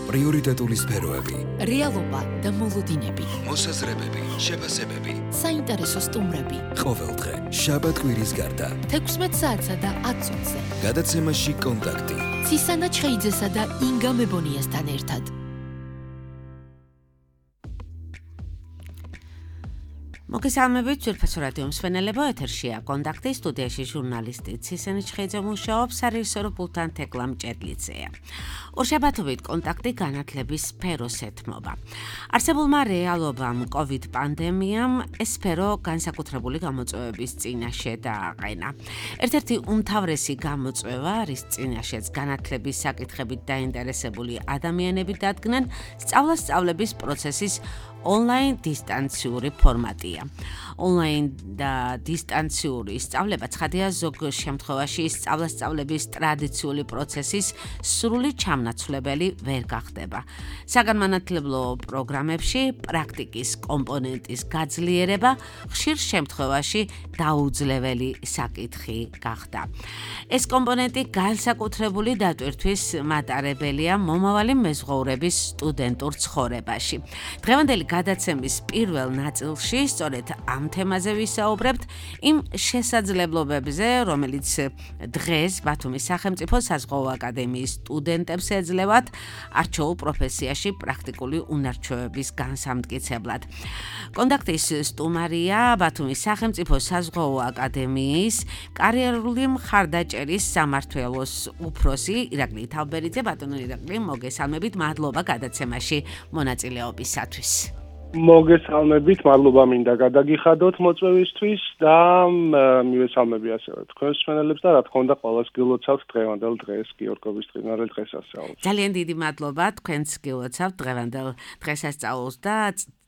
პრიორიტეტული სფეროები, რეალობა და მოლოდინები, მოსაზრებები, შეფასებები, საინტერესო სტუმრები. ყოველდღე, შაბათ-კვირის გარდა, 16 საათსა და 10 წუთზე. გადაცემაში კონტაქტი. ცისანა ჩხეიძესა და ინგა მებონიასთან ერთად. მოგესალმებით, ძვირფასო რადიო მსმენელებო, ეთერშია კონტაქტი, სტუდიაში ჟურნალისტი ცისანა ჩხეიძე მუშაობს, სარეჟისორო პულტთან თეკლა მჭედლიძეა. ორშაბათობით კონტაქტი განათლების სფეროს ეთმობა. არსებულმა რეალობამ, COVID პანდემიამ ეს სფერო განსაკუთრებული გამოწვევების წინაშე დააყენა. ერთ-ერთი უმთავრესი გამოწვევა, რის წინაშეც განათლების საკითხებით დაინტერესებული ადამიანები დადგნენ, სწავლა-სწავლების პროცესის ონლაინ დისტანციური ფორმატია. ონლაინ და დისტანციური სწავლება ცხადია ზოგ შემთხვევაში სწავლა-სწავლების ტრადიციული პროცესის სრული ჩამნაცვლებელი ვერ გახდება. საგანმანათლებლო პროგრამებში პრაქტიკის კომპონენტის გაძლიერება ხშირ შემთხვევაში დაუძლეველი საკითხი გახდა. ეს კომპონენტი განსაკუთრებული დატვირთვის მატარებელია მომავალი მეზღვაურების სტუდენტურ ცხოვრებაში. დღევანდელი გადაცემის პირველ ნაწილში სწორედ ამ თემაზე ვისაუბრებთ, იმ შესაძლებლობებზე, რომელიც დღეს ბათუმის სახელმწიფო საზღვაო აკადემიის სტუდენტებს ეძლევათ არჩეულ პროფესიაში პრაქტიკული უნარჩვევების განსამტკიცებლად. კონტაქტის სტუმარია ბათუმის სახელმწიფო საზღვაო აკადემიის კარიერული მხარდაჭერის სამმართველოს უფროსი ირაკლი თავბერიძე. ბატონო ირაკლი, მოგესალმებით, მადლობა გადაცემაში მონაწილეობისათვის. მოგესალმებით, მადლობა მინდა გადაგიხადოთ მოწვევისთვის და მივესალმები ასევე თქვენს მსმენელებს და რა თქმა უნდა ყველას გილოცავთ დღევანდელ დღეს, გიორგობის წინარე დღესასწაულს. ძალიან დიდი მადლობა თქვენს გილოცავთ დღევანდელ დღესასწაულს და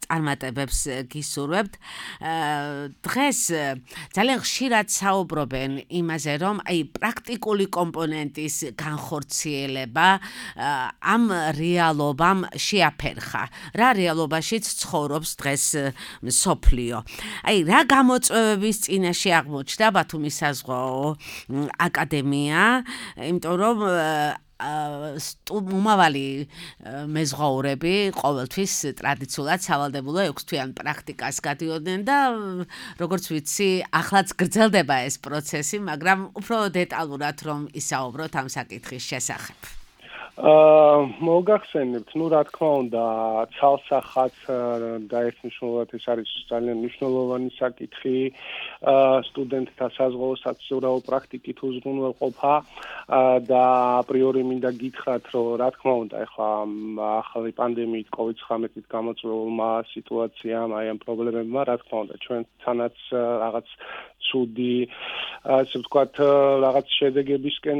წარმატებებს გისურვებთ. დღეს ძალიან ხშირად საუბრობენ იმაზე, რომ პრაქტიკული კომპონენტის განხორციელება ამ რეალობამ შეაფერხა. რა რეალობაშიც ცხოვრობს დღეს მსოფლიო. რა გამოწვევების წინაშე აღმოჩნდა ბათუმის საზღვაო აკადემია, იმიტომ რომ მომავალი მეზღვაურები ყოველთვის ტრადიციულად სავალდებულო 6 თვიან პრაქტიკას გადიოდნენ და როგორც ვიცი, ახლაც გრძელდება ეს პროცესი, მაგრამ უფრო დეტალურად რომ ისაუბროთ ამ საკითხის შესახებ. მოგახსენებთ, რა თქმა უნდა, ცალსახად და ერთნიშნულად ეს არის ძალიან მნიშვნელოვანი საკითხი, სტუდენტთა საზღვაო საცურაო პრაქტიკით უზრუნველყოფა და აპრიორი მინდა გითხრათ, რომ რა თქმა უნდა, ახლა ახალი პანდემიით, COVID-19-ით გამოწვეულმა სიტუაციამ, ამ პრობლემებმა, რა თქმა უნდა, ჩვენთანაც რაღაც ცუდი, ასე ვთქვათ, რაღაც შედეგებისკენ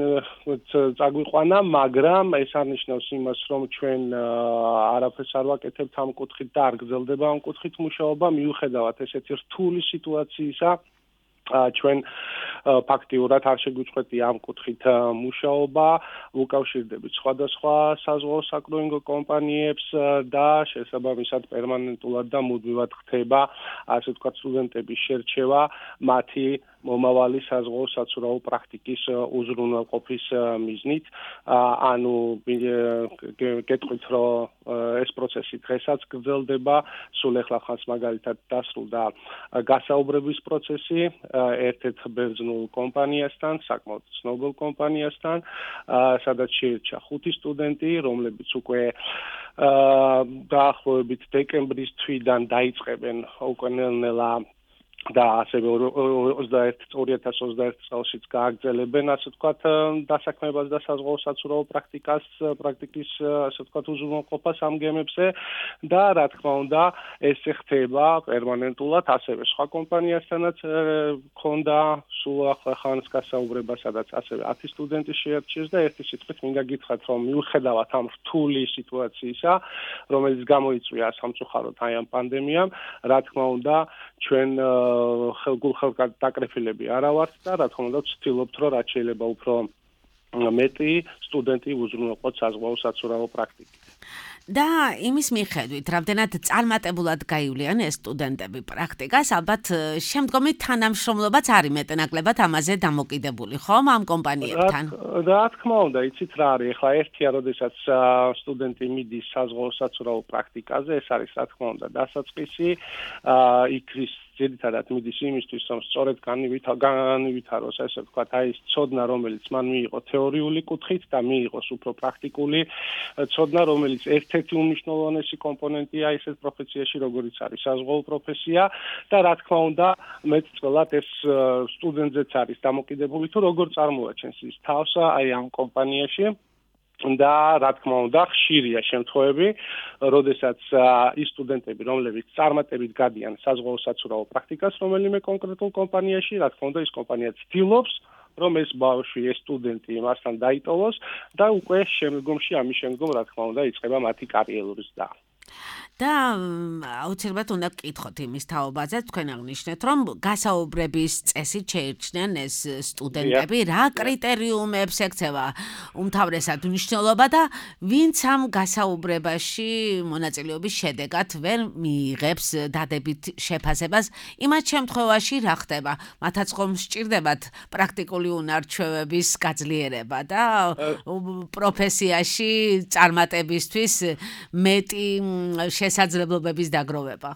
წაგვიყვანა, მაგრამ ეს არნიშნავს იმას, რომ ჩვენ არაფერს არ ვაკეთებთ ამ კუთხით და არ გრძელდება ამ კუთხით მუშაობა, მიუხედავად ესეთი რთული სიტუაციისა. ჩვენ ფაქტიურად არ შეგვიწყვეტია ამ კუთხით მუშაობა, უკავშირდებით სხვადასხვა საზღვაო საკრუინგო კომპანიებს და შესაბამისად პერმანენტულად და მუდმივად ხდება, ასე ვთქვათ, სტუდენტების შერჩევა მათი მომავალი საზღვაო საცურაო პრაქტიკის უზრუნველყოფის მიზნით. ანუ გეტყვით, რომ ეს პროცესი დღესაც გრძელდება, სულ ეხლა ხანს მაგალითად დასრულდა გასაუბრების პროცესი ერთ-ერთ ბერძნულ კომპანიასთან, საკმაოდ ცნობილ კომპანიასთან, სადაც შეირჩა 5 სტუდენტი, რომლებიც უკვე დაახლოებით დეკემბრის თვიდან დაიწყებენ უკვე ნელ-ნელა და ასევე 2021 წელშიც გააგრძელებენ, ასე ვთქვათ, დასაქმებას და საზღვაო საცურაო პრაქტიკის, ასე ვთქვათ, უზრუნველყოფას ამ გემებზე და რა თქმა უნდა, ეს ხდება პერმანენტულად, ასევე სხვა კომპანიასთანაც ქონდა სულ ახლა ხანს გასაუბრება, სადაც ასევე 10 სტუდენტი შეერჩიეს და ერთი სიტყვით მინდა გითხრათ, რომ მიუხედავად ამ რთული სიტუაციისა, რომელიც გამოიწვია სამწუხაროდ ამ პანდემიამ, რა თქმა უნდა, ჩვენ ხელგულხელგადაკრეფილები არა ვართ და რა თქმა უნდა ვცდილობთ, რომ რაც შეიძლება უფრო მეტი სტუდენტი უზრუნველყოთ საზღვაო საცურაო პრაქტიკით. და იმის მიხედვით, რამდენად წარმატებულად გაივლიან ეს სტუდენტები პრაქტიკას, ალბათ შემდგომი თანამშრომლობაც არის მეტნაკლებად ამაზე დამოკიდებული, ხომ, ამ კომპანიებთან? რა თქმა უნდა, იცით რა არის, ეხლა ერთია, როდესაც სტუდენტი მიდის საზღვაო საცურაო პრაქტიკაზე, ეს არის რა თქმა უნდა დასაწყისი, იქ ის ძირითადად მიდის იმისთვის, რომ სწორედ განივითაროს, ესე ვთქვათ, აი ეს ცოდნა, რომელიც მან მიიღო თეორიული კუთხით და მიიღოს უფრო პრაქტიკული ცოდნა, რომელიც ერთ-ერთი უმნიშვნელოვანესი კომპონენტია ისეთ პროფესიაში, როგორიც არის საზღვაო პროფესია და რა თქმა უნდა, მეტწილად ეს სტუდენტზეც არის დამოკიდებული, თუ როგორ წარმოაჩენს ის თავს აი ამ კომპანიაში. და რა თქმა უნდა ხშირია შემთხვევები, როდესაც ის სტუდენტები, რომლებიც წარმატებით გადიან საზღვაო საცურაო პრაქტიკას რომელიმე კონკრეტულ კომპანიაში, რა თქმა უნდა ის კომპანია ცდილობს, რომ ეს ბავშვი, ეს სტუდენტი მასთან დაიტოვოს და უკვე შემდგომში ამის შემდგომ რა თქმა უნდა იწყება მათი კარიერული ზრდა. და აუცილებლად უნდა გკითხოთ იმის თაობაზე, თქვენ აღნიშნეთ, რომ გასაუბრების წესით შეირჩნენ ეს სტუდენტები, რა კრიტერიუმებს ექცევა უმთავრესად მნიშვნელობა და ვინც ამ გასაუბრებაში მონაწილეობის შედეგად ვერ მიიღებს დადებით შეფასებას, იმათ შემთხვევაში რა ხდება? მათაც ხომ სჭირდებათ პრაქტიკული უნარჩვევების გაძლიერება და პროფესიაში წარმატებისთვის მეტი შესაძლებლობების დაგროვება.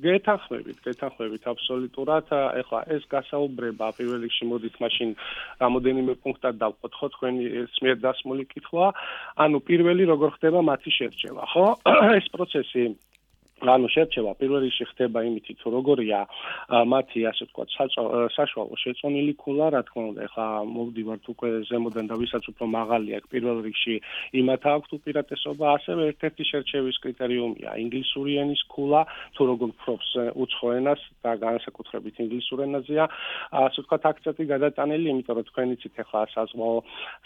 გეთანხმებით აბსოლუტურად. ეხლა ეს გასაუბრება პირველ რიგში მოდით მაშინ რამოდენიმე პუნქტად დავყოთ თქვენი სმიერ დასმული კითხვა. ანუ პირველი როგორ ხდება მათი შერჩევა, ხო? ეს პროცესი ანუ შერჩევა პირველ რიგში ხდება იმით, თუ როგორია მათი ასე ვთქვათ საშუალო შეწონილი ქულა, რა თქმა უნდა, ეხლა მოვდივართ უკვე ზემოდან და ვისაც უფრო მაღალია, პირველ რიგში იმათ აქვთ უპირატესობა, ასევე ერთ-ერთი შერჩევის კრიტერიუმია ინგლისური ენის ქულა, თუ როგორ ფრობს უცხო ენას და განსაკუთრებით ინგლისურ ენაზეა, ასე ვთქვათ აქცენტი გადატანილი, იმიტომ რომ თქვენ იცით ეხლა საზღვაო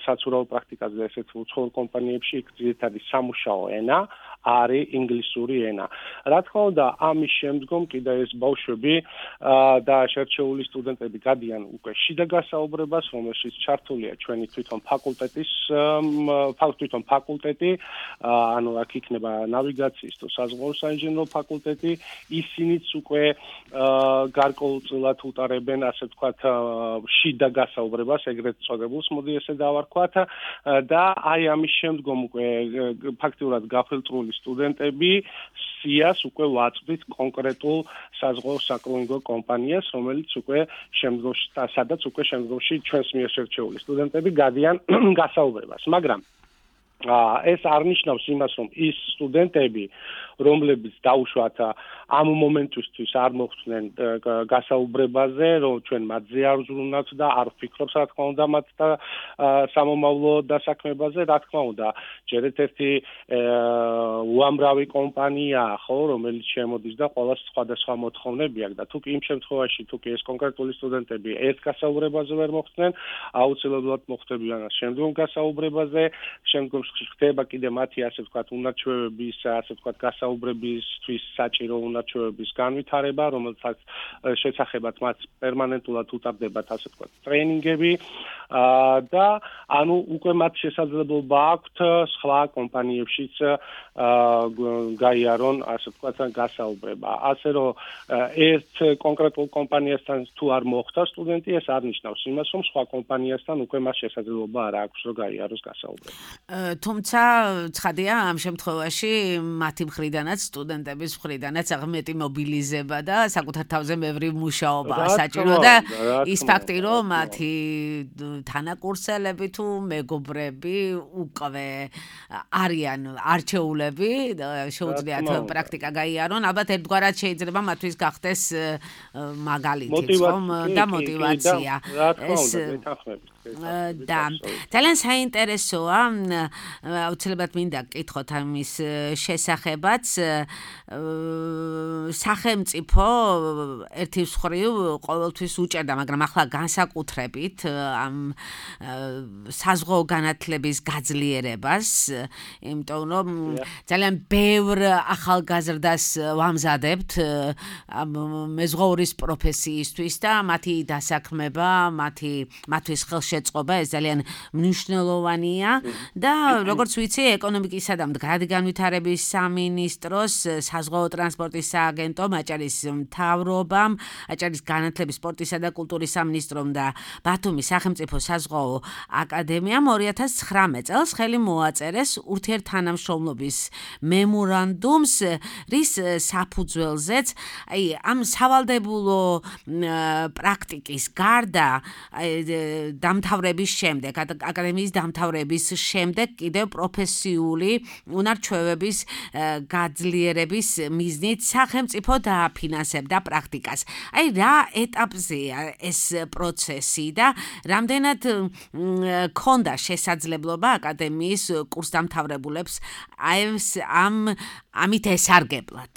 საცურაო პრაქტიკაზე ესეთ უცხოურ კომპანიებში იქ ძირითადი სამუშაო ენა არის ინგლისური ენა. რა თქმა უნდა, ამის შემდგომ კიდე ეს ბავშვები და შერჩეული სტუდენტები გადიან უკვე შიდა გასაუბრებას, რომელშიც ჩართულია ჩვენი თვითონ ფაკულტეტი, ანუ აქ იქნება ნავიგაციის თუ საზღვაო საინჟინრო ფაკულტეტი, ისინიც უკვე გარკვეულწილად უტარებენ, ასე ვთქვათ, შიდა გასაუბრებას, ეგრეთ წოდებულს, მოდი ესე დავარქვათ, და აი ამის შემდგომ უკვე ფაქტიურად გაფილტრული სტუდენტები სიას უკვე ვაწვდით კონკრეტულ საზღვაო საკლინინგო კომპანიას, რომელიც უკვე შემდგომში და სადაც უკვე შემდგომში ჩვენს მიერ შერჩეული სტუდენტები გადიან გასაუბრებას. მაგრამ ეს არ ნიშნავს იმას, რომ ის სტუდენტები, რომლებიც დაუშვათ ამ მომენტისთვის არ მოხვდნენ გასაუბრებაზე, რომ ჩვენ მათზე არ ვზრუნავთ და არ ვფიქრობთ, რა თქმა უნდა, მათ და სამომავლო დასაქმებაზე, რა თქმა უნდა, ჯერ ერთ-ერთი უამრავი კომპანიაა, ხო, რომელიც შემოდის და ყველას სხვადასხვა მოთხოვნები აქვს და თუ კი იმ შემთხვევაში, თუ კი ეს კონკრეტული სტუდენტები ერთ გასაუბრებაზე ვერ მოხვდნენ, აუცილებლად მოხვდებიან შემდგომ გასაუბრებაზე, შემდგომ ხდება კიდე მათი ასე ვთქვათ უნარჩვევების, ასე ვთქვათ გასაუბრებისთვის საჭირო უნარჩვევების განვითარება, რომელსაც შესახებად მათ პერმანენტულად უტარდებათ ასე ვთქვათ ტრეინინგები და ანუ უკვე მათ შესაძლებლობა აქვთ სხვა კომპანიებშიც გაიარონ ასე ვთქვათ გასაუბრება. ასე რომ ერთ კონკრეტულ კომპანიასთან თუ არ მოხვდა სტუდენტი, ეს არ ნიშნავს იმას, რომ სხვა კომპანიასთან უკვე მას შესაძლებლობა არ აქვს, რომ გაიაროს გასაუბრება. თუმცა ცხადია ამ შემთხვევაში მათი მხრიდანაც სტუდენტების მხრიდანაც აღმეტი მობილიზება და საკუთარ თავზე მევრი მუშაობა საჭირო და ის ფაქტი რომ მათი თანაკურსელები თუ მეგობრები უკვე არიან არჩეულები და შეუძლიათ პრაქტიკა გაიარონ, ალბათ ერთგვარად შეიძლება მათთვის გახდეს მაგალითიც ხომ და მოტივაცია. ეს და ძალიან საინტერესოა, აუცილებლად მინდა გკითხოთ ამის შესახებაც. სახელმწიფო ერთი მხრივ ყოველთვის უჭერდა, მაგრამ ახლა განსაკუთრებით ამ საზღვაო განათლების გაძლიერებას, იმიტომ რომ ძალიან ბევრ ახალგაზრდას ვამზადებთ მეზღვაურის პროფესიისთვის და მათი დასაქმება, მათთვის ხელშეწყობა, ეს ძალიან მნიშვნელოვანია და როგორც ვიცი, ეკონომიკისა და მდგრადი განვითარების სამინისტროს საზღვაო ტრანსპორტის სააგენტომ, აჭარის მთავრობამ, აჭარის განათლების, სპორტისა და კულტურის სამინისტრომ და ბათუმის სახელმწიფო საზღვაო აკადემიამ 2019 წელს ხელი მოაწერეს ურთიერთთანამშრომლობის მემორანდუმს, რის საფუძველზეც ამ სავალდებულო პრაქტიკის გარდა დამთავრების შემდეგ, აკადემიის დამთავრების შემდეგ კიდევ პროფესიული უნარჩვევების გაძლიერების მიზნით სახელმწიფო დააფინანსებდა პრაქტიკას. რა ეტაპზეა ეს პროცესი და რამდენად ქონდა შესაძლებლობა აკადემიის კურსდამთავრებულებს ამით ესარგებლად?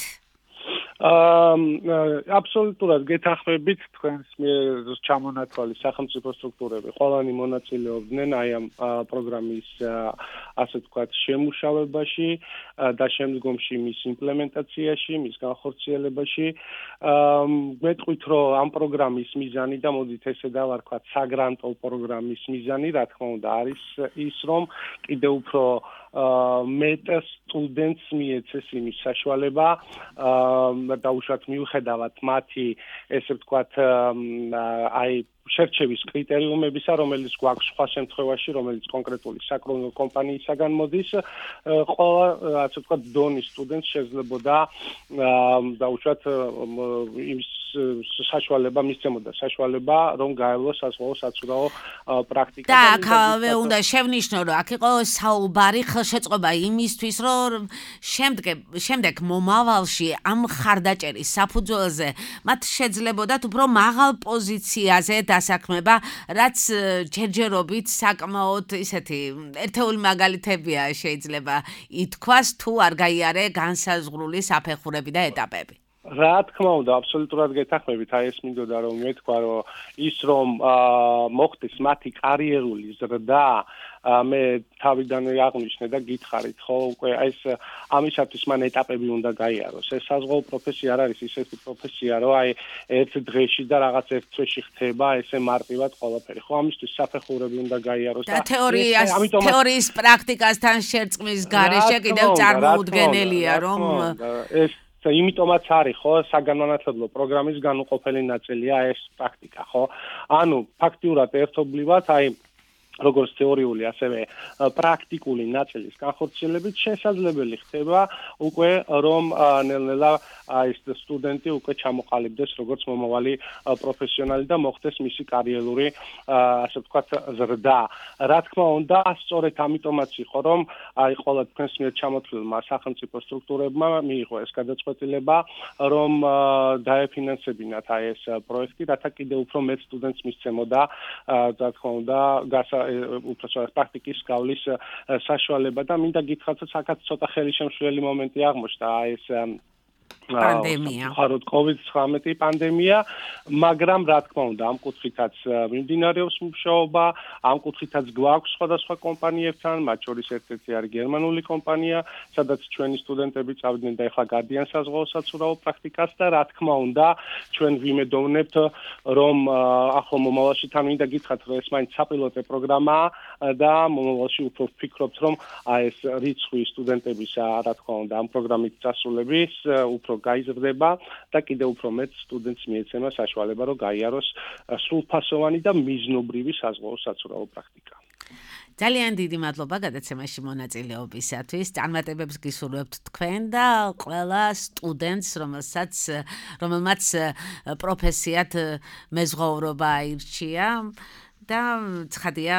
აბსოლუტურად გეთანხმებით თქვენს მიერ ჩამონათვალი სახელმწიფო სტრუქტურები ყველანი მონაწილეობდნენ აი ამ პროგრამის ასე ვთქვათ შემუშავებაში და შემდგომში მის იმპლემენტაციაში, მის განხორციელებაში. მეთქვით, რომ ამ პროგრამის მიზანი და მოდით ესე დავარქვათ საგრანტო პროგრამის მიზანი, რა თქმა უნდა, არის ის, რომ კიდევ უფრო მეტ სტუდენტს მიეცეს იმის საშუალება დაუშვათ მიუხედავად მათი ესე ვთქვათ აი შერჩევის კრიტერიუმებისა, რომელიც გვაქვს სხვა შემთხვევაში, რომელიც კონკრეტული საკრონო კომპანიისაგან მოდის, ყველა ასე ვთქვათ დონის სტუდენტს შეძლებოდა დაუშვათ იმის საშუალება მისცემოდა საშუალება, რომ გაევლოს საზღვაო საცურაო პრაქტიკა. და აქ უნდა შევნიშნო, რომ აქ იყო საუბარი ხელშეწყობა იმისთვის, რომ შემდეგ მომავალში ამ ხარდაჭერის საფუძველზე მათ შეძლებოდათ უფრო მაღალ პოზიციაზე დასაქმება, რაც ჯერჯერობით საკმაოდ ისეთი ერთეული მაგალითებია შეიძლება ითქვას, თუ არ გაიარე განსაზღვრული საფეხურები და ეტაპები. რა თქმა უნდა, აბსოლუტურად გეთანხმებით, აი ეს მინდოდა რომ მეთქვა, რომ ის რომ მოხდეს მათი კარიერული ზრდა, მე თავიდანვე აღნიშნე და გითხარით, ხო, უკვე ეს ამისათვის მან ეტაპები უნდა გაიაროს. ეს საზღვაო პროფესია არ არის ისეთი პროფესია, რომ აი ერთ დღეში და რაღაც ერთ თვეში ხდება ესე მარტივად ყველაფერი. ხო, ამისთვის საფეხურები უნდა გაიაროს და თეორიის პრაქტიკასთან შერწყმის გარეშე კიდევ წარმოუდგენელია, რომ ეს იმიტომაც არის, ხო, საგანმანათლებლო პროგრამის განუყოფელი ნაწილია ეს პრაქტიკა, ხო? ანუ ფაქტიურად ერთობლივად, აი როგორც თეორიული, ასევე პრაქტიკული ნაწილის განხორციელებით შესაძლებელი ხდება უკვე რომ ნელ-ნელა ეს სტუდენტი უკვე ჩამოყალიბდეს როგორც მომავალი პროფესიონალი და მოხდეს მისი კარიერული ასე ვთქვათ ზრდა. რა თქმა უნდა, სწორედ ამიტომაც იყო რომ აი ყველა თქვენს მიერ ჩამოთვლილმა სახელმწიფო სტრუქტურებმა მიიღო ეს გადაწყვეტილება, რომ დაეფინანსებინათ აი ეს პროექტი, რათა კიდევ უფრო მეტ სტუდენტს მისცემოდა რა თქმა უნდა უბრალოდ პრაქტიკის გავლის საშუალება და მინდა გითხრათ, რომ საკაც ცოტა ხელისშემშლელი მომენტი აღმოჩნდა ეს პანდემია. ხაროდ COVID-19 პანდემია, მაგრამ რა თქმა უნდა, ამ კუთხითაც მიმდინარეობს მუშაობა, ამ კუთხითაც გვაქვს სხვადასხვა კომპანიებთან, მათ შორის ერთ-ერთი არის გერმანული კომპანია, სადაც ჩვენი სტუდენტები წავიდნენ და ეხლა გადიან საზღვაო საცურაო პრაქტიკას და რა თქმა უნდა, ჩვენ ვიმედოვნებთ, რომ ახლო მომავალში თან მინდა გითხრათ, რომ ეს მაინც საპილოტე პროგრამაა და მომავალში უფრო ვფიქრობთ, რომ ეს რიცხვი სტუდენტებისა, რა თქმა უნდა, ამ პროგრამით წასულების უფრო გაიზრდება და კიდევ უფრო მეტ სტუდენტს მიეცემა საშუალება, რომ გაიაროს სრულფასოვანი და მიზნობრივი საზღვაო საცურაო პრაქტიკა. ძალიან დიდი მადლობა გადაცემაში მონაწილეობისათვის. წარმატებებს გისურვებთ თქვენ და ყველა სტუდენტს, რომელმაც პროფესიად მეზღვაურობა აირჩია და ცხადია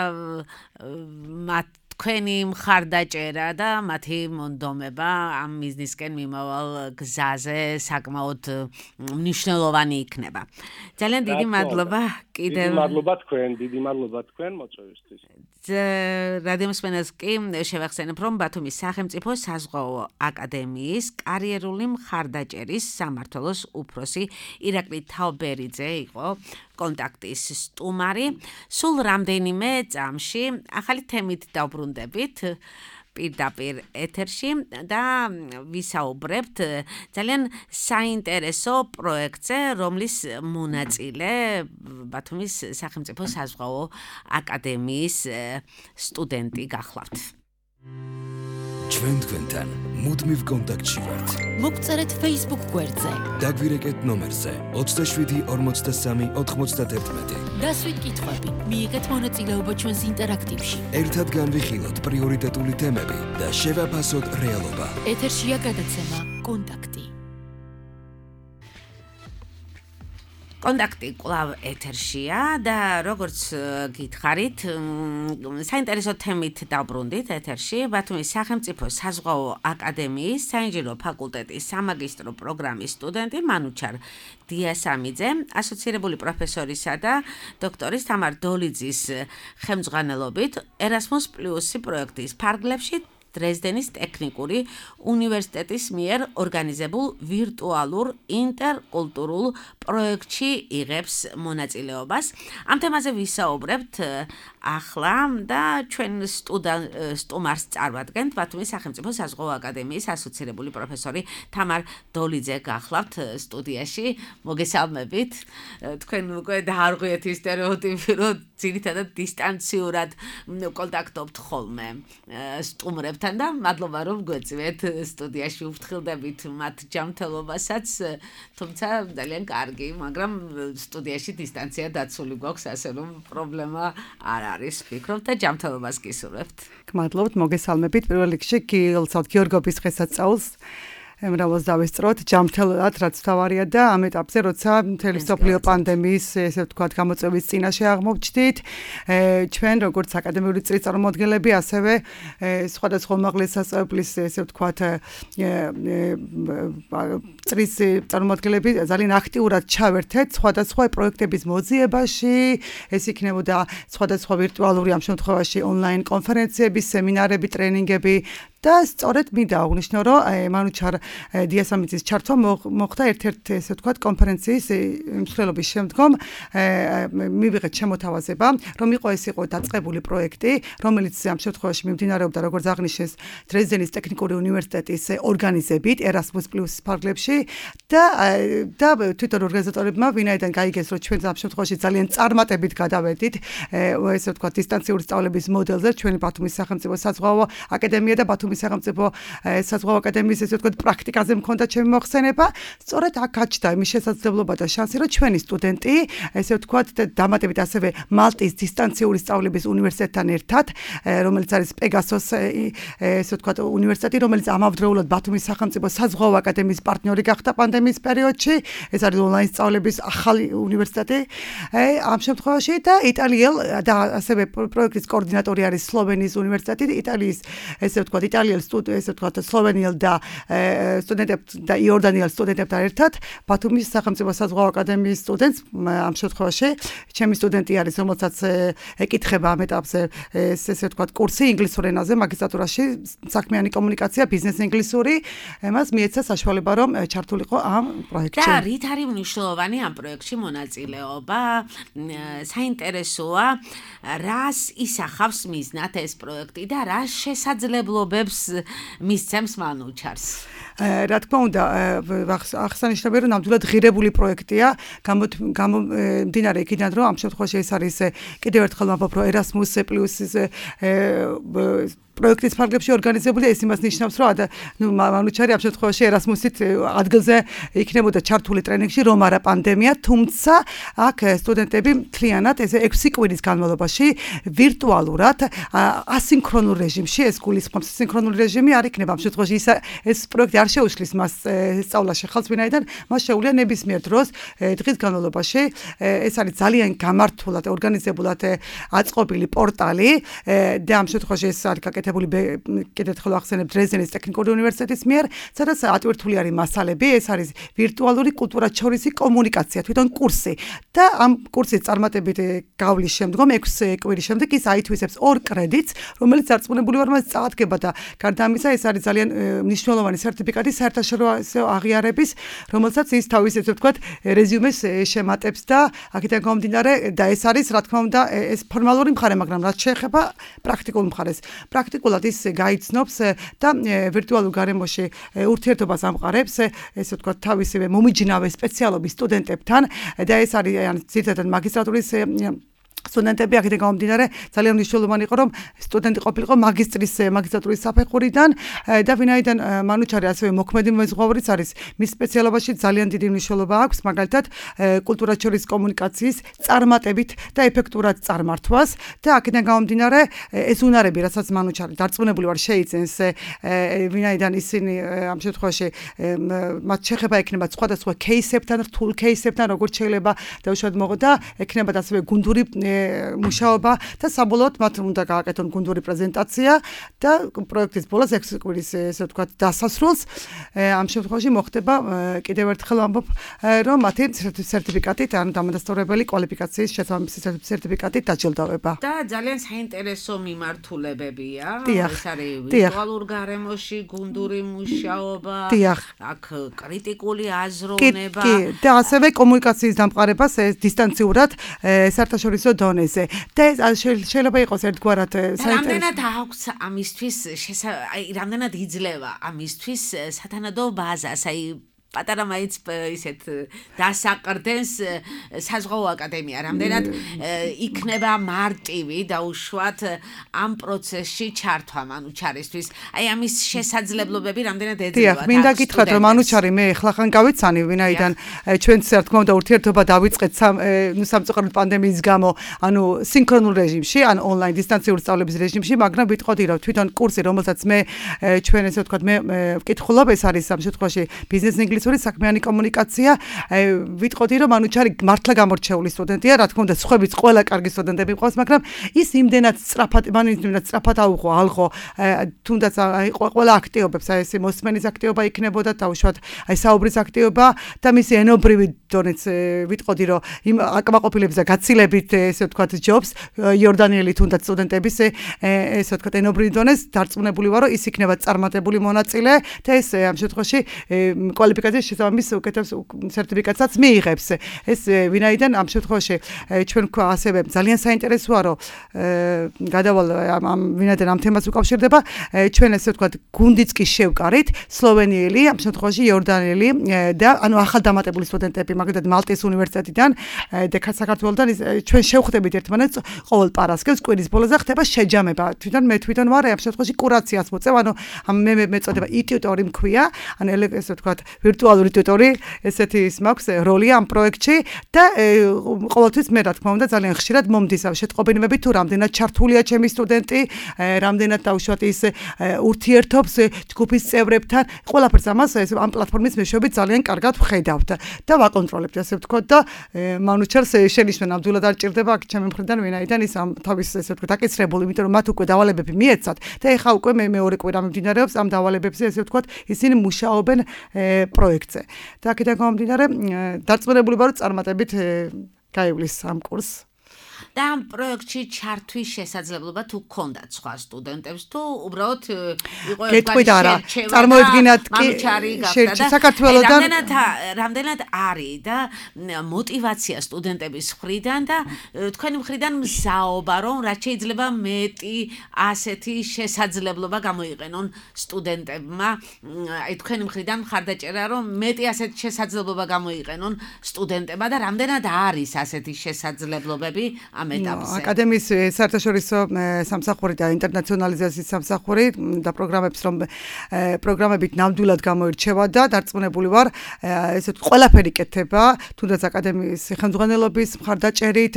თქვენი მხარდაჭერა და მათი მონდომება ამ მიზნისკენ მიმავალ გზაზე საკმაოდ მნიშვნელოვანი იქნება. ძალიან დიდი მადლობა კიდევ. დიდი მადლობა თქვენ მოწვევისთვის. რადიომსმენელს კი შევახსენებ, რომ ბათუმის სახელმწიფო საზღვაო აკადემიის კარიერული მხარდაჭერის სამმართველოს უფროსი ირაკლი თაობერიძე იყო კონტაქტის სტუმარი. სულ რამდენიმე წამში ახალი თემით დავბრუნდებით. პირდაპირ ეთერში და ვისაუბრებთ ძალიან საინტერესო პროექტზე, რომლის მონაწილე ბათუმის სახელმწიფო საზღვაო აკადემიის სტუდენტი გახლავთ. ჩვენ თქვენთან მუდმივ კონტაქტში ვართ. მოგწერეთ Facebook გვერდზე. დაგვირეკეთ ნომერზე 27 43 91. დასვით კითხვები, მიიღეთ მონაწილეობა ჩვენს ინტერაქტივში. ერთად განვიხილოთ პრიორიტეტული თემები და შევაფასოთ რეალობა. ეთერშია გადაცემა კონტაქტი. კონტაქტი კვლავ ეთერშია და როგორც გითხარით, საინტერესო თემით დავბრუნდით ეთერში. ბათუმის სახელმწიფო საზღვაო აკადემიის საინჟინრო ფაკულტეტის სამაგისტრო პროგრამის სტუდენტი მანუჩარ დიასამიძე, ასოცირებული პროფესორისა და დოქტორის თამარ დოლიძის ხელმძღვანელობით Erasmus+ პროექტის ფარგლებში დრეზდენის ტექნიკური უნივერსიტეტის მიერ ორგანიზებულ ვირტუალურ ინტერკულტურულ პროექტში იღებს მონაწილეობას. ამ თემაზე ვისაუბრებთ ახლა და ჩვენ სტუმარს წარმატებთ ბათუმის სახელმწიფო საზღვაო აკადემიის ასოცირებული პროფესორი თამარ დოლიძე გახლავთ სტუდიაში. მოგესალმებით. თქვენ უკვე დაარღვიეთ ის სტერეოტიპი, რომ ძირითადად დისტანციურად კონტაქტობთ ხოლმე სტუმრებთან. და მადლობა რომ გვეწვეთ სტუდიაში ვფრთხილდებით მათ ჯანმრთელობასაც, თუმცა ძალიან კარგი, მაგრამ სტუდიაში დისტანცია დაცული გვაქვს, ასე რომ პრობლემა არ არის, ვფიქრობ და ჯანმრთელობას გისურვებთ. გმადლობთ, მოგესალმებით. პირველ რიგში გიორგობის დღესასწაულს მრავალს დავესწროთ ჯანმრთელად, რაც თავარია და ამ ეტაპზე, როცა მთელი მსოფლიო პანდემიის, ესე ვთქვათ, გამოწვევის წინაშე აღმოჩნდით, ჩვენ როგორც აკადემიური წრის წარმომადგენლები, ასევე სხვადასხვა უმაღლეს სასწავლებლის, ესე ვთქვათ, წრის წარმომადგენლები ძალიან აქტიურად ჩავერთეთ სხვადასხვა პროექტების მოძიებაში, ეს იქნებოდა სხვადასხვა ვირტუალური, ამ შემთხვევაში ონლაინ კონფერენციები, სემინარები, ტრენინგები და სწორედ მინდა აღვნიშნო, რომ მანუჩარ დიასამიძის ჩართვა მოხდა ერთ-ერთ, ესე ვთქვათ, კონფერენციის მსვლელობის შემდგომ მივიღეთ შემოთავაზება, რომ ეს იყო დაწყებული პროექტი, რომელიც ამ შემთხვევაში მიმდინარეობდა, როგორც აღნიშნეს, დრეზდენის ტექნიკური უნივერსიტეტის ორგანიზებით Erasmus+ ფარგლებში და თვითონ ორგანიზატორებმა ვინაიდან გაიგეს, რომ ჩვენ ამ შემთხვევაში ძალიან წარმატებით გადავედით, ესე ვთქვათ, დისტანციური სწავლების მოდელზე, ჩვენი ბათუმის სახელმწიფო საზღვაო აკადემია და ბათუმის სახელმწიფო საზღვაო აკადემიის, ესე ვთქვათ, პრაქტიკაზე მქონდა ჩემი მოხსენება, სწორედ აქ გაჩნდა იმის შესაძლებლობა და შანსი, რომ ჩვენი სტუდენტი, ესე ვთქვათ, დამატებით ასევე მალტის დისტანციური სწავლების უნივერსიტეტთან ერთად, რომელიც არის პეგასოს, ესე ვთქვათ, უნივერსიტეტი, რომელიც ამავდროულად ბათუმის სახელმწიფო საზღვაო აკადემიის პარტნიორი გახდა პანდემიის პერიოდში, ეს არის ონლაინ სწავლების ახალი უნივერსიტეტი. ამ შემთხვევაში და იტალიელ და ასევე პროექტის კოორდინატორი არის სლოვენიის უნივერსიტეტი, იტალიის, ესე ვთქვათ, ესე ვთქვათ, სლოვენიელ და სტუდენტებთან და იორდანიელ სტუდენტებთან ერთად ბათუმის სახელმწიფო საზღვაო აკადემიის სტუდენტს ამ შემთხვევაში ჩემი სტუდენტი არის, რომელსაც ეკითხება ამ ეტაპზე ესე ვთქვათ კურსი ინგლისურ ენაზე მაგისტრატურაში საქმიანი კომუნიკაცია, ბიზნეს ინგლისური, მას მიეცა საშუალება რომ ჩართულიყო ამ პროექტში. და რით არის მნიშვნელოვანი ამ პროექტში მონაწილეობა? საინტერესოა, რას ისახავს მიზნად ეს პროექტი და რა შესაძლებლობებს მისცემს მანუჩარს? რა თქმა უნდა, აღსანიშნავია, რომ ნამდვილად ღირებული პროექტია, გამომდინარე იქიდან, რომ ამ შემთხვევაში ეს არის კიდევ ერთხელ ვამბობ, რომ Erasmus+ პროექტის ფარგლებში ორგანიზებული, ეს იმას ნიშნავს, რომ მანუჩარი ამ შემთხვევაში Erasmus-ით ადგილზე იქნებოდა ჩართული ტრენინგში, რომ არა პანდემია, თუმცა აქ სტუდენტები მთლიანად ეს 6 კვირის განმავლობაში ვირტუალურად ასინქრონულ რეჟიმში, ეს გულისხმობს სინქრონული რეჟიმი არ იქნება ამ შემთხვევაში, ეს პროექტი არ შეუშლის მას სწავლაში ხალხს, ვინაიდან მას შეუძლია ნებისმიერ დროს დღის განმავლობაში, ეს არის ძალიან გამართულად ორგანიზებულად აწყობილი პორტალი და ამ შემთხვევაში ეს არის კიდევ ერთხელ ახსენებ დრეზდენის ტექნიკური უნივერსიტეტის მიერ, სადაც ატვირთული არის მასალები, ეს არის ვირტუალური კულტურათშორისი კომუნიკაცია, თვითონ კურსი და ამ კურსის წარმატებით გავლის შემდგომ 6 კვირის შემდეგ ის აითვისებს 2 კრედიტს, რომელიც დარწმუნებული ვარ მას წაადგება და გარდა ამისა, ეს არის ძალიან მნიშვნელოვანი სერტიფიკატი საერთაშორისო აღიარების, რომელსაც ის თავის ესე ვთქვათ, რეზიუმეს შემატებს და აქედან გამომდინარე და ეს არის, რა თქმა უნდა, ეს ფორმალური მხარე, მაგრამ რაც შეეხება პრაქტიკულ მხარეს. პრაქტიკულად ის გაიცნობს და ვირტუალურ გარემოში ურთიერთობას ამყარებს, ესე ვთქვათ, თავისივე მომიჯნავე სპეციალობის სტუდენტებთან და ეს არის ძირითადად მაგისტრატურის სტუდენტები აქედან გამომდინარე ძალიან მნიშვნელოვანი იყო რომ სტუდენტი ყოფილიყო მაგისტრატურის საფეხურიდან და ვინაიდან მანუჩარი ასევე მოქმედი მეზღვაურიც არის მის სპეციალობაში ძალიან დიდი მნიშვნელობა აქვს მაგალითად კულტურას შორის კომუნიკაციის წარმატებით და ეფექტურად წარმართვას და აქედან გამომდინარე ეს უნარები რასაც მანუჩარი დარწმუნებული ვარ შეიცენს ვინაიდან ისინი ამ შემთხვევაში მათ შეხება ექნება სხვადასხვა кейსებთან რთულ кейსებთან როგორც შეიძლება დაუშვათ მოღო და ექნებათ ასევე გუნდური მუშაობა და საბოლოოდ მათ უნდა გააკეთონ გუნდური პრეზენტაცია და პროექტის ბოლოს 6 კვირის ესე ვთქვათ დასასრულს ამ შემთხვევაში მოხდება კიდევ ერთხელ ვამბობ რომ მათი სერტიფიკატით ან დამადასტურებელი კვალიფიკაციის შესაბამისი სერტიფიკატით დაჯილდოვება და ძალიან საინტერესო მიმართულებებია ეს არის ვირტუალურ გარემოში გუნდური მუშაობა აქ კრიტიკული აზროვნება და ასევე კომუნიკაციის დამყარებას დისტანციურად საერთაშორისო დონეზე და შეიძლება იყოს ერთგვარად რამდენად აქვს ამისთვის რამდენად იძლევა ამისთვის სათანადო ბაზას აი პატარა მაინც ისეთ დასაყრდენს საზღვაო აკადემია რამდენად იქნება მარტივი დაუშვათ ამ პროცესში ჩართვა მანუჩარისთვის აი ამის შესაძლებლობები რამდენად ეძლევა დიახ მინდა გითხრათ რომ მანუჩარი მე ეხლა გავიცანი ვინაიდან ჩვენც რა თქმა უნდა ურთიერთობა დავიწყეთ სამწუხაროდ პანდემიის გამო ანუ სინქრონულ რეჟიმში ან ონლაინ დისტანციური სწავლების რეჟიმში მაგრამ ვიტყოდი რომ თვითონ კურსი რომელსაც მე ჩვენ ესე ვთქვათ მე ვკითხულობ ეს არის ამ შემთხვევაში ბიზნეს საქმიანი კომუნიკაცია ვიტყოდი რომ მანუჩარი მართლა გამორჩეული სტუდენტია რა თქმა უნდა სხვაებიც ყველა კარგი სტუდენტები მყავს მაგრამ ის იმდენად სწრაფად აუღო თუნდაც ყველა აქტიობებს აი ეს მოსმენის აქტიობა იქნებოდა დაუშვათ აი საუბრის აქტიობა და მისი ენობრივი დონეც ვიტყოდი რომ იმ აკმაყოფილების და გაცილებით ესე ვთქვათ ჯობს იორდანიელი თუნდაც სტუდენტების ესე ვთქვათ ენობრივი დონეს დარწმუნებული ვარო ის იქნება წარმატებული მონაწილე და ეს ამ შემთხვევაში კვალიფიკაციის შესაბამის უკეთებს სერტიფიკატსაც მიიღებს. ეს ვინაიდან ამ შემთხვევაში ჩვენ ვქვა ასევე ძალიან საინტერესოა რომ გადავალ ვინაიდან ამ თემას უკავშირდება ჩვენ ესე ვთქვათ გუნდიც კი შევკარით სლოვენიელი ამ შემთხვევაში იორდანიელი და ანუ ახალდამატებული სტუდენტები მაგალითად მალტის უნივერსიტეტიდან და საქართველოსთან ჩვენ შევხვდებით ერთმანეთს ყოველ პარასკევს კვირის ბოლოზე ხდება შეჯამება მე თვითონ ვარ ამ შემთხვევაში კურაციას მოწევ ანუ მე მეწოდება იტიუტორი მქვია ან ესე ვთქვათ ვირტუალური ტიუტორი ესეთი ის მაქვს როლი ამ პროექტში და ყოველთვის მე რა თქმა უნდა ძალიან ხშირად მომდის შეტყობინებები თუ რამდენად ჩართულია ჩემი სტუდენტი რამდენად დაუშვათ ის ურთიერთობს ჯგუფის წევრებთან ყველაფერს ამას ამ პლატფორმის მეშვეობით ძალიან კარგად ვხედავთ და ვაკონტროლებთ ასე ვთქვათ და მანუჩარს შენიშვნა ნამდვილად არ ჭირდება აქ ჩემი მხრიდან ვინაიდან ის ამ თავის ესე ვთქვათ აკისრებული იმიტომ რომ მათ უკვე დავალებები მიეცათ და ეხა უკვე მე მეორე კვირა მიმდინარეობს ამ დავალებებზე ესე ვთქვათ ისინი მუშაობენ პროექტზე. და აქედან გამომდინარე დარწმუნებული ვარ რომ წარმატებით გაივლის ამ კურსს. და ამ პროექტში ჩართვის შესაძლებლობა თუ გქონდათ სხვა სტუდენტებს თუ უბრალოდ იყო ერთგვარი წარმოედგინათ კი საქართველოსთან რამდენად არის და мотиваცია სტუდენტების მხრიდან და თქვენი მხრიდან მზაობა რომ რაც შეიძლება მეტი ასეთი შესაძლებლობა გამოიყენონ სტუდენტებმა აი თქვენი მხრიდან მხარდაჭერა რომ მეტი ასეთი შესაძლებლობა გამოიყენონ სტუდენტებმა და რამდენად არის ასეთი შესაძლებლობები ამ ეტაპზე. აკადემიის საერთაშორისო სამსახური და ინტერნაციონალიზაციის სამსახური და პროგრამებით ნამდვილად გამოირჩევა და დარწმუნებული ვარ ესეთ ყველაფერი კეთება თუნდაც აკადემიის ხელმძღვანელობის მხარდაჭერით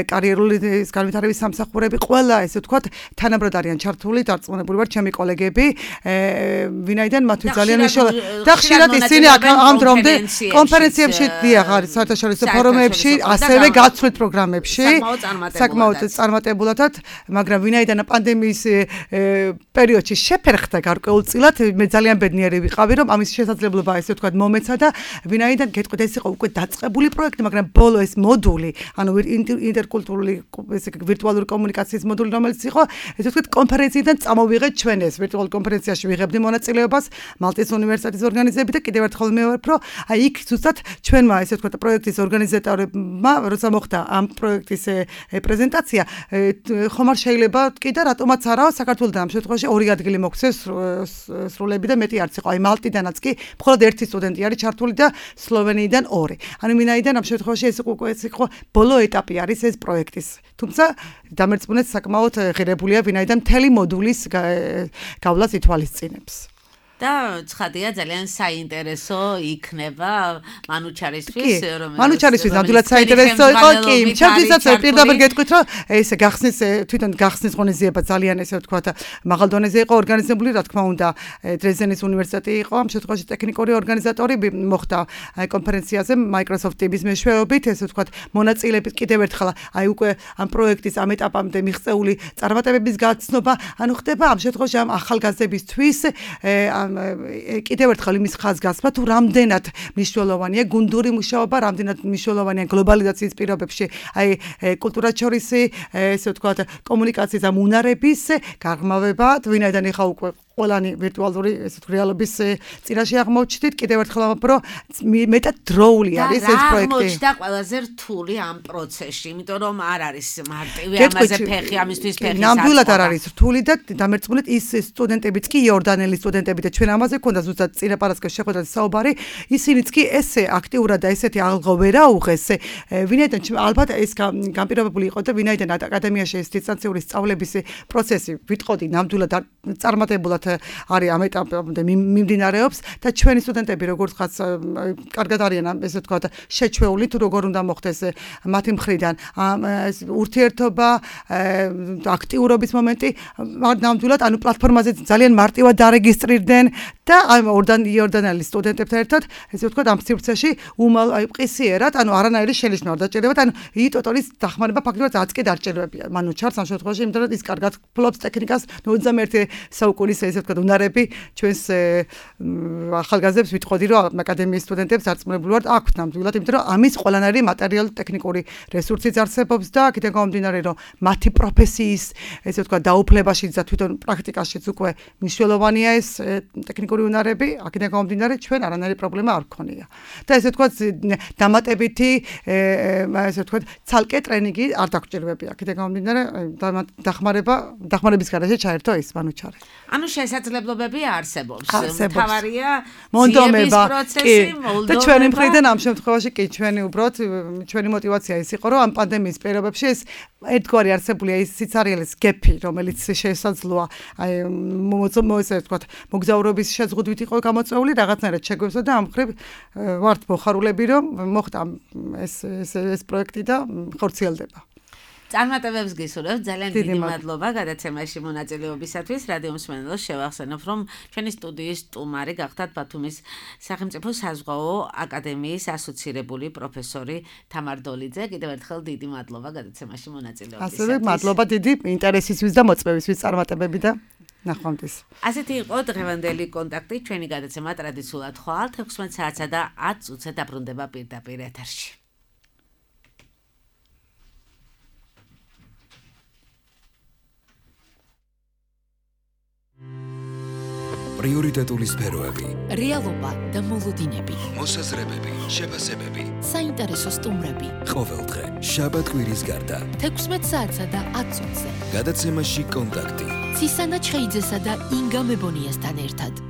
კარიერული განვითარების სამსახურები ყველა ესე ვთქვათ თანაბრად არიან ჩართული დარწმუნებული ვარ ჩემი კოლეგები ვინაიდან მათთვის ძალიან მნიშვნელოვანი და ხშირად ისინი ამ დრომდე კონფერენციებში დიახ არის საერთაშორისო ფორუმებში ასევე გაცვლით პროგრამებში წარმატებულადად, მაგრამ ვინაიდან პანდემიის პერიოდში შეფერხდა გარკვეულწილად, მე ძალიან ბედნიერი ვიყავი, რომ ამის შესაძლებლობა ესე ვთქვათ მომეცა და ვინაიდან გეტყვით ეს იყო უკვე დაწყებული პროექტი, მაგრამ ბოლო ეს მოდული, ანუ ინტერკულტურული ესე ვირტუალური კომუნიკაციის მოდული, რომელიც იყო, ესე ვთქვათ კონფერენციიდან წამოვიღეთ ჩვენ ეს ვირტუალურ კონფერენციაში ვიღებდი მონაწილეობას მალტის უნივერსიტეტის ორგანიზებით და კიდევ ერთხელ მევფრო, აი იქ ზუსტად ჩვენმა ესე ვთქვათ პროექტის ორგანიზატორებმა, როცა მოხდა ამ პროექტის პრეზენტაცია, ხომ არ შეიძლება კი და რატომაც არაო საქართველოსთან ამ შემთხვევაში ორი ადგილი მოგვცეს სრულები და მეტი არც იყო. აი მალტიდანაც კი მხოლოდ ერთი სტუდენტი არის ჩართული და სლოვენიიდან ორი. ანუ ვინაიდან ამ შემთხვევაში ეს იყო ბოლო ეტაპი არის ეს პროექტის. თუმცა დამერწმუნეთ საკმაოდ ღირებულია ვინაიდან მთელი მოდულის გავლას ითვალისწინებს. და ცხადია ძალიან საინტერესო იქნება მანუჩარისთვის, რომელიც მანუჩარისთვის ნამდვილად საინტერესო იყო, კი, ჩემთვისაც პირდაპირ გეტყვით, რომ ესე გახსნის თვითონ გახსნის ღონისძიება ძალიან ესე ვთქვათ, მაღალ დონეზე იყო ორგანიზებული, რა თქმა უნდა, დრეზდენის უნივერსიტეტი იყო, ამ შემთხვევაში ტექნიკური ორგანიზატორი მოხდა კონფერენციაზე Microsoft Teams-ის მეშვეობით, ესე ვთქვათ, მონაწილეებით კიდევ ერთხელ აი უკვე ამ პროექტის ამ ეტაპამდე მიღწეული წარმატებების გაცნობა, ანუ ხდება ამ შემთხვევაში ამ ახალგაზრდებისთვის კიდევ ერთხელ იმის ხაზგასმა თუ რამდენად მნიშვნელოვანია გუნდური მუშაობა, რამდენად მნიშვნელოვანია გლობალიზაციის პირობებში, აი კულტურაშორისი, ესე ვთქვათ, კომუნიკაციის ამ უნარების გაღრმავება, ვინაიდან ეხა უკვე ყველანი ვირტუალური ესე ვთქვათ რეალობის წინაშე აღმოჩნდით, კიდევ ერთხელ ამბობ, რომ მეტად დროული არის ეს პროექტი. აღმოჩნდა ყველაზე რთული ამ პროცესში, იმიტომ რომ არ არის მარტივი ამაზე ფეხი, ამისთვის ფეხი. ნამდვილად არ არის რთული და დამერწმუნეთ ის სტუდენტებიც კი იორდანელი სტუდენტები და ჩვენ ამაზე ქონდა ზუსტად წინა პარასკევს შეხვედრაზე საუბარი, ისინიც კი ესე აქტიურად და ესეთი ალღო ვერ აუღეს, ვინაიდან ალბათ ეს განპირობებული იყო და ვინაიდან აკადემიაში ეს დისტანციური სწავლების პროცესი ვიტყოდი ნამდვილად წარმატებულად არის ამ ეტაპამდე მიმდინარეობს და ჩვენი სტუდენტები როგორც ხაც კარგად არიან ესე ვთქვათ შეჩვეული თუ როგორ უნდა მოხდეს მათი მხრიდან ურთიერთობა აქტიურობის მომენტი ნამდვილად ანუ პლატფორმაზე ძალიან მარტივად დარეგისტრირდნენ და იორდანელი სტუდენტებთან ერთად ესე ვთქვათ ამ სივრცეში ყისიერად ანუ არანაირი შენიშვნა არ დაჭირებათ ანუ იტოტოლის დახმარება ფაქტობრივად არც კი დარჭირებებია მანუ ჩარს ამ შემთხვევაში იმიტომ რომ ის კარგად ფლობს ტექნიკას 21 საუკუნის ესე ვთქვათ უნარები ჩვენს ახალგაზრდებს ვიტყოდი რომ აკადემიის სტუდენტებს დარწმუნებული ვართ აქვთ ნამდვილად იმიტომ რომ ამის ყველანაირი მატერიალური ტექნიკური რესურსიც არსებობს და აქედან გამომდინარე რომ მათი პროფესიის ესე ვთქვათ დაუფლებაში და თვითონ პრაქტიკაშიც უკვე მნიშვნელოვანია ეს ტექნიკური უნარები აქედან გამომდინარე ჩვენ არანაირი პრობლემა არ გქონია და ესე ვთქვათ დამატებითი ესე ვთქვათ ცალკე ტრენინგი არ დაგჭირებებია აქედან გამომდინარე დახმარების გარეშე ჩაერთო ის მანუჩარი ანუ შესაძლებლობები არსებობს. თავარია მონდომება და ჩვენი მხრიდან ამ შემთხვევაში კი ჩვენი უბრალოდ ჩვენი мотиваცია ის იყო რომ ამ პანდემიის პირობებში ეს ერთგვარი არსებული ის სიცარიელის გეფი რომელიც შესაძლოა აი მოესე ვთქვათ მოგზაურობის შეზღუდვით იყო გამოწვეული რაღაცნაირად შეგვეცდა და ამ მხრივ ვართ მოხარულები რომ მოხდა ეს პროექტი და ხორციელდება. წარმატებებს გისურვებთ ძალიან დიდი მადლობა გადაცემაში მონაწილეობისათვის რადიო მსმენელს შევახსენებ რომ ჩვენი სტუდიის სტუმარი გახდათ ბათუმის სახელმწიფო საზღვაო აკადემიის ასოცირებული პროფესორი თამარ დოლიძე კიდევ ერთხელ დიდი მადლობა გადაცემაში მონაწილეობისათვის ასევე მადლობა დიდი ინტერესისთვის და მოწვევისთვის წარმატებები და ნახვამდის ასეთი იყო დღევანდელი კონტაქტი ჩვენი გადაცემა ტრადიციულად ხვალ 16 საათსა და 10 წუთზე დაბრუნდება პირდაპირ ეთერში პრიორიტეტული სფეროები, რეალობა და მოლოდინები, მოსაზრებები, შეფასებები, საინტერესო სტუმრები. ყოველდღე, შაბათ-კვირის გარდა, 16 საათსა და 10 წუთზე. გადაცემაში კონტაქტი. ცისანა ჩხეიძესა და ინგა მებონიასთან ერთად.